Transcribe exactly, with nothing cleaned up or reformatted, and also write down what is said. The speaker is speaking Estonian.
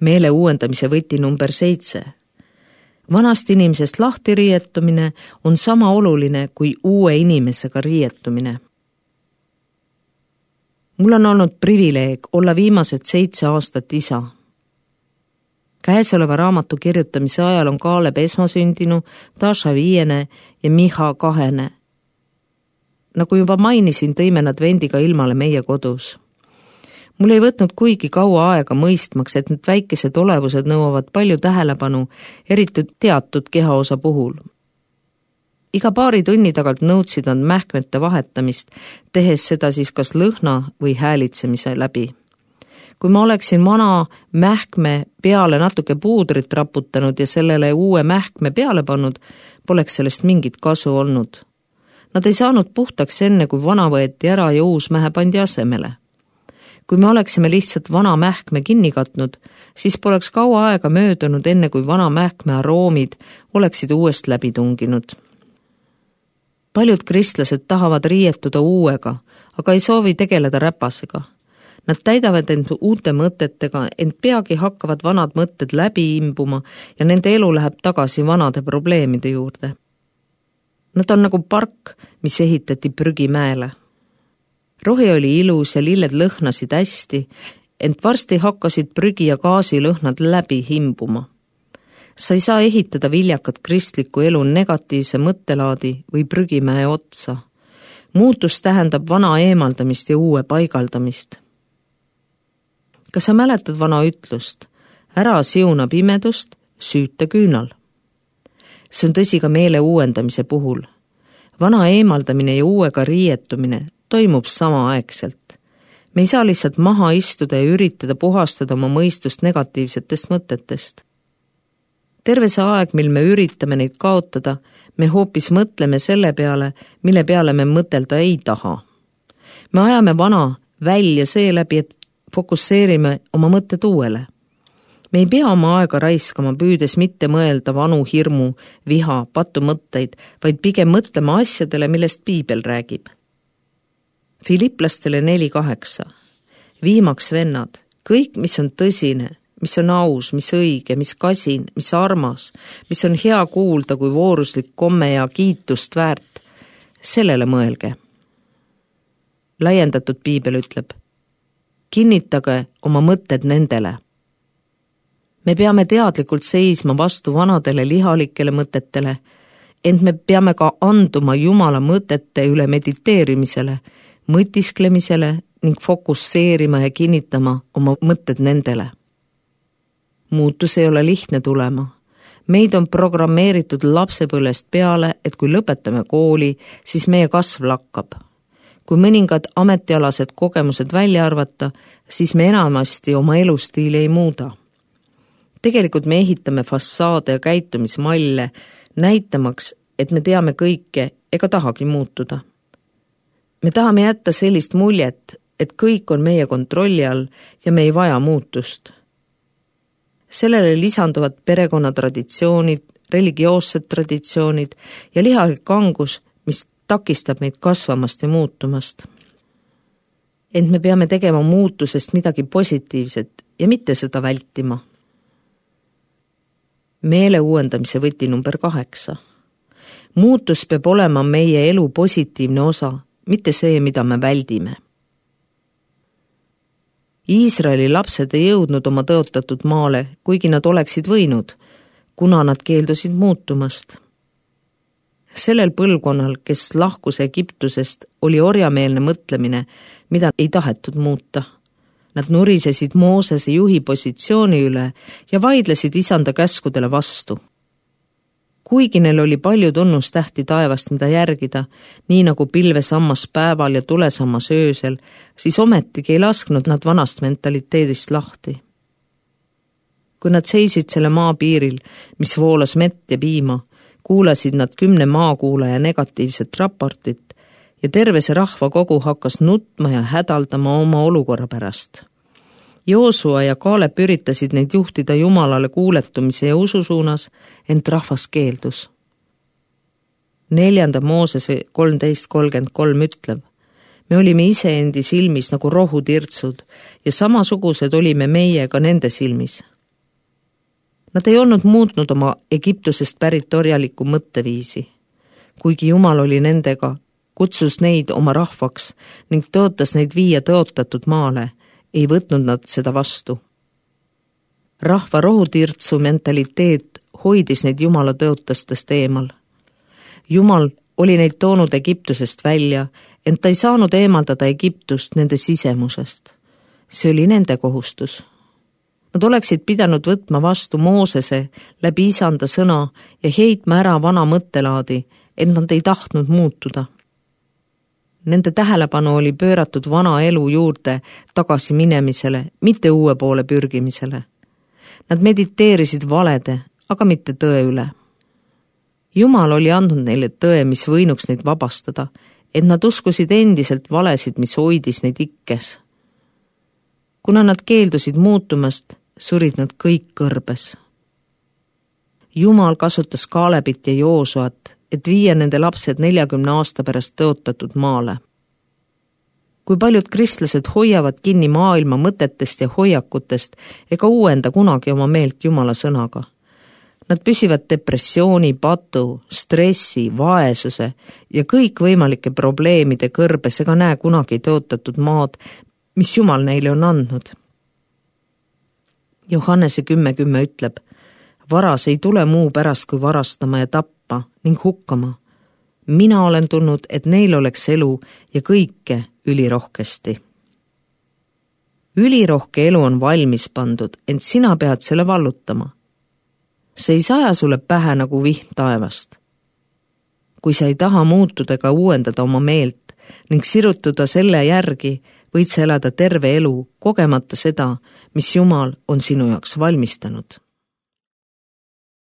Meele uuendamise võti number seitse. Vanast inimesest lahti riietumine on sama oluline kui uue inimesega riietumine. Mul on olnud privileeg olla viimased seitse aastat isa. Käesoleva raamatu kirjutamise ajal on Kaaleb esmasündinu, Tasha viiene ja Miha kahene. Nagu juba mainisin, tõime nad vendiga ilmale meie kodus. Mul ei võtnud kuigi kaua aega mõistmaks, et need väikesed olevused nõuavad palju tähelepanu, eriti teatud kehaosa puhul. Iga paari tunni tagant nõudsid nad mähkmete vahetamist, tehes seda siis kas lõhna või häälitsemise läbi. Kui ma oleksin vana mähkme peale natuke puudrit raputanud ja sellele uue mähkme peale pannud, poleks sellest mingit kasu olnud. Nad ei saanud puhtaks enne, kui vana võeti ära ja uus mähe pandi asemele. Kui me oleksime lihtsalt vana mähkme kinni katnud, siis poleks kaua aega möödunud enne, kui vana mähkme aroomid oleksid uuest läbi tunginud. Paljud kristlased tahavad riietuda uuega, aga ei soovi tegeleda räpasega. Nad täidavad end uute mõtetega, ent peagi hakkavad vanad mõtted läbi imbuma ja nende elu läheb tagasi vanade probleemide juurde. Nad on nagu park, mis ehitati prügimäele. Rohi oli ilus ja lilled lõhnasid hästi, ent varsti hakkasid prügi ja gaasilõhnad läbi himbuma. Sa ei saa ehitada viljakat kristlikku elu negatiivse mõttelaadi või prügimäe otsa. Muutus tähendab vana eemaldamist ja uue paigaldamist. Kas sa mäletad vana ütlust? Ära siuna pimedust, süüta küünal. See on tõsi ka meele uuendamise puhul. Vana eemaldamine ja uuega riietumine toimub samaaegselt. Me ei saa lihtsalt maha istuda ja üritada puhastada oma mõistust negatiivsetest mõtetest. Terve see aeg, mil me üritame neid kaotada, me hoopis mõtleme selle peale, mille peale me mõtelda ei taha. Me ajame vana välja seeläbi, et fokusseerime oma mõtted uuele. Me ei pea oma aega raiskama, püüdes mitte mõelda vanu hirmu, viha, patumõtteid, vaid pigem mõtlema asjadele, millest Piibel räägib. Filiplastele neli kaheksa. Viimaks vennad, kõik, mis on tõsine, mis on aus, mis õige, mis kasin, mis armas, mis on hea kuulda kui vooruslik komme ja kiitust väärt, sellele mõelge. Laiendatud Piibel ütleb, kinnitage oma mõtted nendele. Me peame teadlikult seisma vastu vanadele lihalikele mõtetele, ent me peame ka anduma Jumala mõtete üle mediteerimisele, mõtisklemisele ning fokusseerima ja kinnitama oma mõtted nendele. Muutus ei ole lihtne tulema. Meid on programmeeritud lapsepõlvest peale, et kui lõpetame kooli, siis meie kasv lakkab. Kui mõningad ametialased kogemused välja arvata, siis me enamasti oma elustiili ei muuda. Tegelikult me ehitame fassaade ja käitumismalle, näitamaks, et me teame kõike ega tahagi muutuda. Me tahame jätta sellist muljet, et kõik on meie kontrolli all ja me ei vaja muutust. Sellele lisanduvad perekonnatraditsioonid, religioossed traditsioonid ja lihalik angus, mis takistab meid kasvamast ja muutumast. Ent me peame tegema muutusest midagi positiivset ja mitte seda vältima. Meele uuendamise võti number kaheksa. Muutus peab olema meie elu positiivne osa, mitte see, mida me väldime. Iisraeli lapsed ei jõudnud oma tõotatud maale, kuigi nad oleksid võinud, kuna nad keeldusid muutumast. Sellel põlvkonnal, kes lahkus Egiptusest, oli orjameelne mõtlemine, mida ei tahetud muuta. Nad nurisesid Moosese juhi positsiooni üle ja vaidlesid isanda käskudele vastu. Kuigi neil oli palju tunnustähti taevast, mida järgida, nii nagu pilvesammas päeval ja tulesammas öösel, siis ometigi ei lasknud nad vanast mentaliteedist lahti. Kui nad seisid selle maa piiril, mis voolas mett ja piima, kuulasid nad kümne maakuulaja negatiivset raportit ja terve see rahvakogu hakkas nutma ja hädaldama oma olukorra pärast. Joosua ja Kaalep üritasid neid juhtida Jumalale kuuletumise ja usu suunas, ent rahvas keeldus. Neljanda Moosese kolmteist kolmkümmend kolm ütleb, me olime iseendi silmis nagu rohutirtsud ja samasugused olime meie ka nende silmis. Nad ei olnud muutnud oma Egiptusest pärit orjalikku mõtteviisi. Kuigi Jumal oli nendega, kutsus neid oma rahvaks ning tõotas neid viia tõotatud maale, ei võtnud nad seda vastu. Rahva rohutirtsu mentaliteet hoidis neid Jumala tõotastest eemal. Jumal oli neid toonud Egiptusest välja, ent ta ei saanud eemaldada Egiptust nende sisemusest. See oli nende kohustus. Nad oleksid pidanud võtma vastu Moosese läbi isanda sõna ja heitma ära vana mõttelaadi, et nad ei tahtnud muutuda. Nende tähelepanu oli pööratud vana elu juurde tagasi minemisele, mitte uue poole pürgimisele. Nad mediteerisid valede, aga mitte tõe üle. Jumal oli andnud neile tõe, mis võinuks neid vabastada, et nad uskusid endiselt valesid, mis hoidis neid ikkes. Kuna nad keeldusid muutumast, surid nad kõik kõrbes. Jumal kasutas Kaalebit ja Joosuat, et viia nende lapsed neljakümne aasta pärast tõotatud maale. Kui paljud kristlased hoiavad kinni maailma mõtetest ja hoiakutest ega uuenda kunagi oma meelt Jumala sõnaga. Nad püsivad depressiooni, patu, stressi, vaesuse ja kõikvõimalike probleemide kõrbes ega näe kunagi tõotatud maad, mis Jumal neile on andnud. Johannese kümme kümme ütleb, varas ei tule muu pärast kui varastama ja tappa ning hukkama. Mina olen tulnud, et neil oleks elu ja kõike ülirohkesti. Ülirohke elu on valmis pandud, ent sina pead selle vallutama. See ei saja sulle pähe nagu vihm taevast. Kui sa ei taha muutuda ega uuendada oma meelt ning sirutuda selle järgi, võid sa elada terve elu, kogemata seda, mis Jumal on sinu jaoks valmistanud.